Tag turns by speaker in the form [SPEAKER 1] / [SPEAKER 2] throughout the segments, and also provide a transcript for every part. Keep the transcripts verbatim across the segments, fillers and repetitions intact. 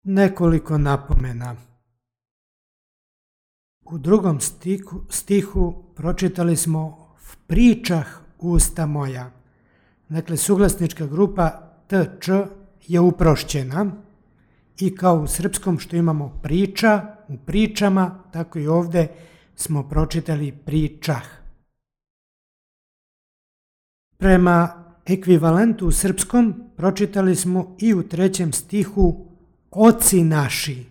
[SPEAKER 1] Nekoliko napomena. U drugom stihu, stihu pročitali smo v pričah usta moja. Dakle, suglasnička grupa T Č je uprošćena i kao u srpskom što imamo priča, u pričama, tako i ovdje smo pročitali pričah. Prema ekvivalentu u srpskom pročitali smo i u trećem stihu oci naši.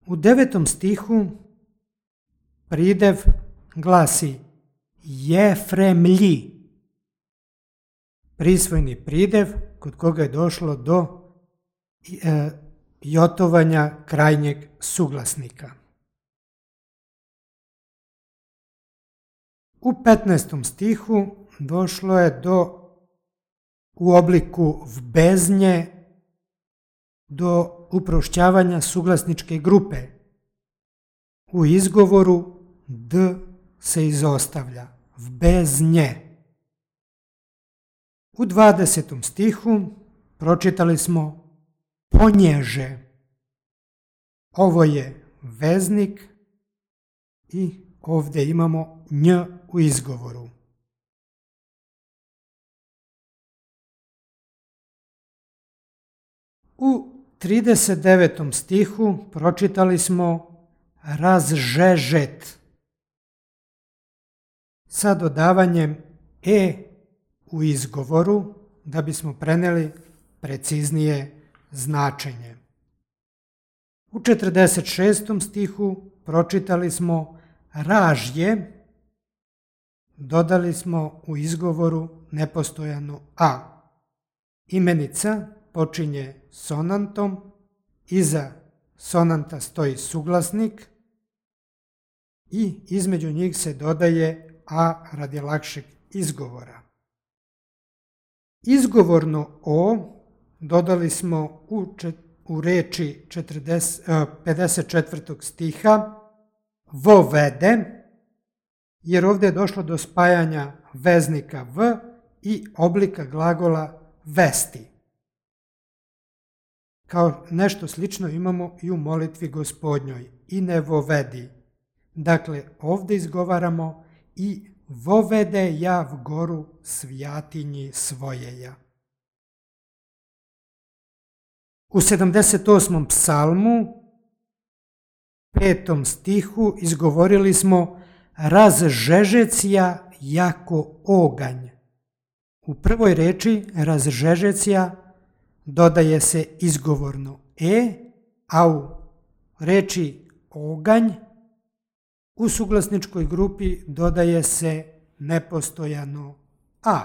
[SPEAKER 1] U devetom stihu pridev glasi Jefremlji, prisvojni pridev kod koga je došlo do e, jotovanja krajnjeg suglasnika. U petnaestom stihu došlo je do u obliku v beznje do uprošćavanja suglasničke grupe. U izgovoru D se izostavlja, v beznje. U dvadesetom stihu pročitali smo ponježe. Ovo je veznik i ovdje imamo nj u izgovoru. U trideset devetom stihu pročitali smo razžežet sa dodavanjem e u izgovoru da bismo prenijeli preciznije značenje. U četrdeset šestom stihu pročitali smo ražje, dodali smo u izgovoru nepostojano a. Imenica počinje sonantom, iza sonanta stoji suglasnik i između njih se dodaje a radi lakšeg izgovora. Izgovorno o dodali smo u, čet, u reči četrdeset, pedeset četvrtog stiha vovede, jer ovdje je došlo do spajanja veznika v i oblika glagola vesti. Kao nešto slično imamo i u molitvi Gospodnjoj, i ne vovedi. Dakle, ovdje izgovaramo i vovede ja v goru svijatinji svojeja. U sedamdeset osmom psalmu, petom stihu, izgovorili smo razžežecija jako oganj. U prvoj reči razžežecija dodaje se izgovorno e, a u reči oganj u suglasničkoj grupi dodaje se nepostojano a.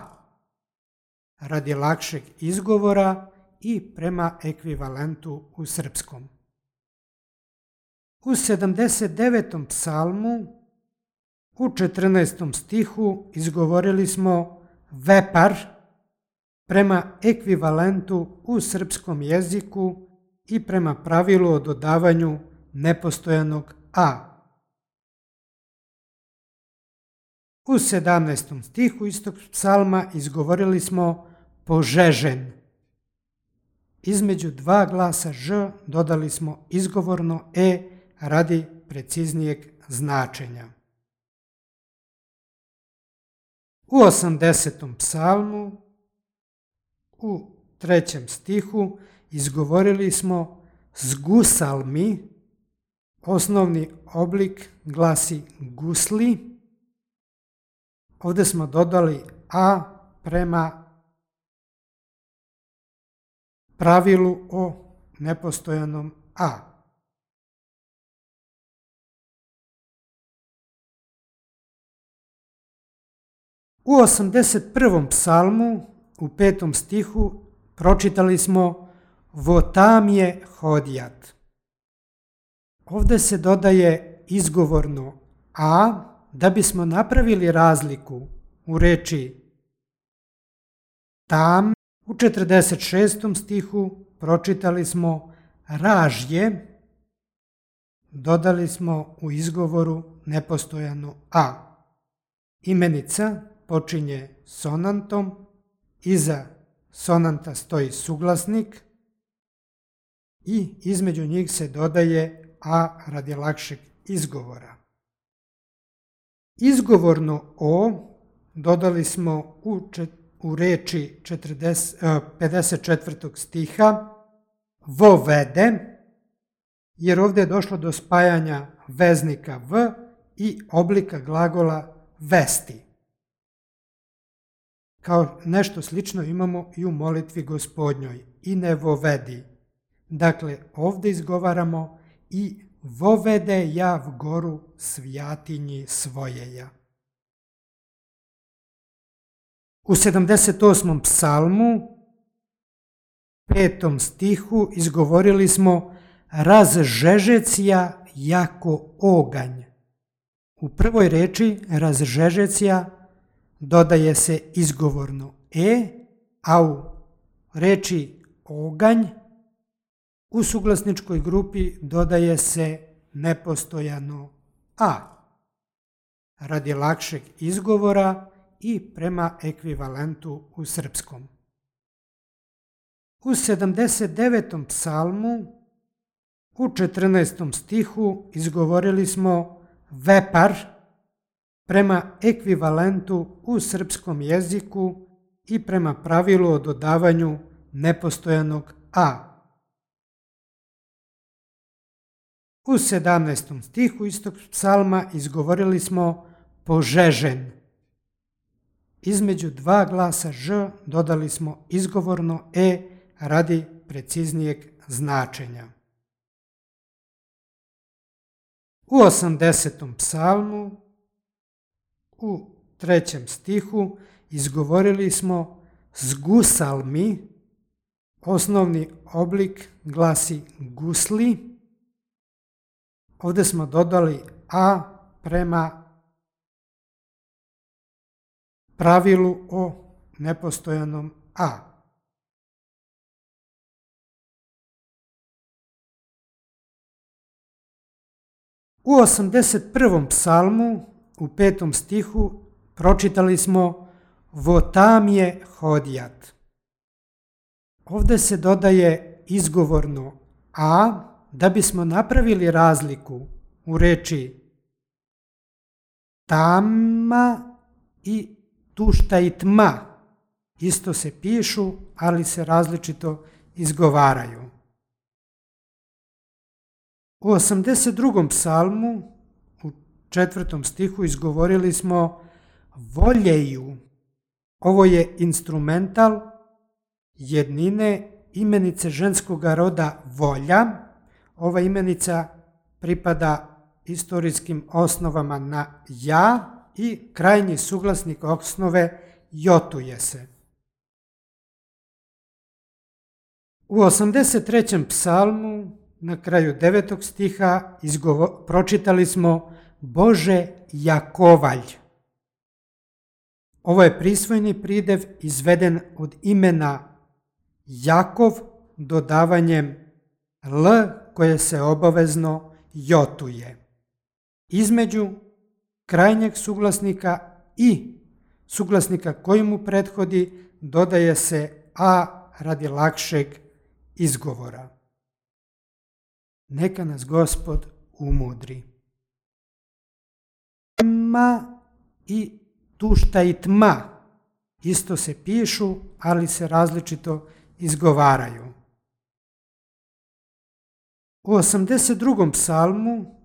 [SPEAKER 1] Radi lakšeg izgovora i prema ekvivalentu u srpskom. U sedamdeset devetom psalmu u četrnaestom stihu izgovorili smo vepar prema ekvivalentu u srpskom jeziku i prema pravilu o dodavanju nepostojanog a. U sedamnaestom stihu istog psalma izgovorili smo požežen. Između dva glasa ž dodali smo izgovorno e radi preciznijeg značenja. U osamdesetom psalmu u trećem stihu izgovorili smo zgusalmi, osnovni oblik glasi gusli. Ovdje smo dodali a prema pravilu o nepostojanom a. U osamdeset prvom psalmu u petom stihu pročitali smo votamje hodjat. Ovdje se dodaje izgovorno a da bismo napravili razliku u reči tam. U četrdeset šestom stihu pročitali smo ražje, dodali smo u izgovoru nepostojano a. Imenica počinje sonantom, iza sonanta stoji suglasnik i između njih se dodaje a radi lakšeg izgovora. Izgovorno o dodali smo u, čet, u reči četrdeset, pedeset četvrtog stiha vovede, jer ovdje je došlo do spajanja veznika v i oblika glagola vesti. Kao nešto slično imamo i u molitvi Gospodnjoj, i ne vovedi. Dakle, ovdje izgovaramo i vovede ja v goru svijatinji svojeja. U sedamdeset osmom psalmu, petom stihu, izgovorili smo razžežecija jako oganj. U prvoj reči razžežecija dodaje se izgovorno e, a u reči oganj u suglasničkoj grupi dodaje se nepostojano a, radi lakšeg izgovora i prema ekvivalentu u srpskom. U sedamdeset devetom psalmu, u četrnaestom stihu, izgovorili smo vepar prema ekvivalentu u srpskom jeziku i prema pravilu o dodavanju nepostojanog a. U sedamnaestom stihu istog psalma izgovorili smo požežen. Između dva glasa ž dodali smo izgovorno e radi preciznijeg značenja. U osamdesetom psalmu, u trećem stihu, izgovorili smo zgusal mi, osnovni oblik glasi gusli. Ovdje smo dodali a prema pravilu o nepostojanom a. U osamdeset prvom psalmu, u petom stihu, pročitali smo votamje hodjat. Ovdje se dodaje izgovorno a da bismo napravili razliku u reči tama i tušta i tma. Isto se pišu, ali se različito izgovaraju. U osamdeset drugom psalmu, u četvrtom stihu, izgovorili smo voljeju. Ovo je instrumental jednine imenice ženskog roda volja. Ova imenica pripada istorijskim osnovama na ja i krajnji suglasnik osnove jotuje se. U osamdeset trećem psalmu, na kraju devetog stiha, izgovo, pročitali smo Bože Jakovalj. Ovo je prisvojni pridev izveden od imena Jakov dodavanjem l koje se obavezno jotuje. Između krajnjeg suglasnika i suglasnika koji mu prethodi dodaje se a radi lakšeg izgovora. Neka nas Gospod umudri. Tma i tušta i tma isto se pišu, ali se različito izgovaraju. U osamdeset drugom psalmu,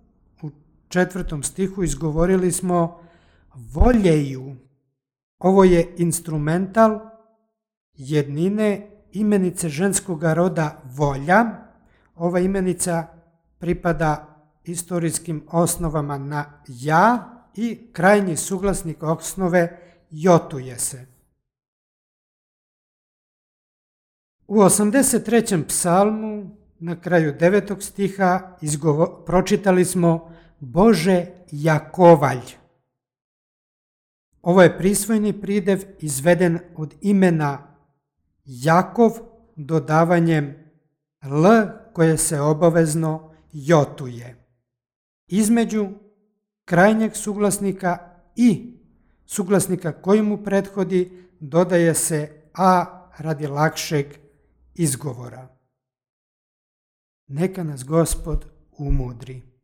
[SPEAKER 1] u četvrtom stihu, izgovorili smo voljeju. Ovo je instrumental jednine imenice ženskog roda volja. Ova imenica pripada istorijskim osnovama na ja i krajnji suglasnik osnove jotuje se. U osamdeset trećem psalmu, na kraju devetog stiha, izgovo, pročitali smo Bože Jakovalj. Ovo je prisvojni pridev izveden od imena Jakov dodavanjem l koje se obavezno jotuje. Između krajnjeg suglasnika i suglasnika koji mu prethodi dodaje se a radi lakšeg izgovora. Neka nas Gospod umudri.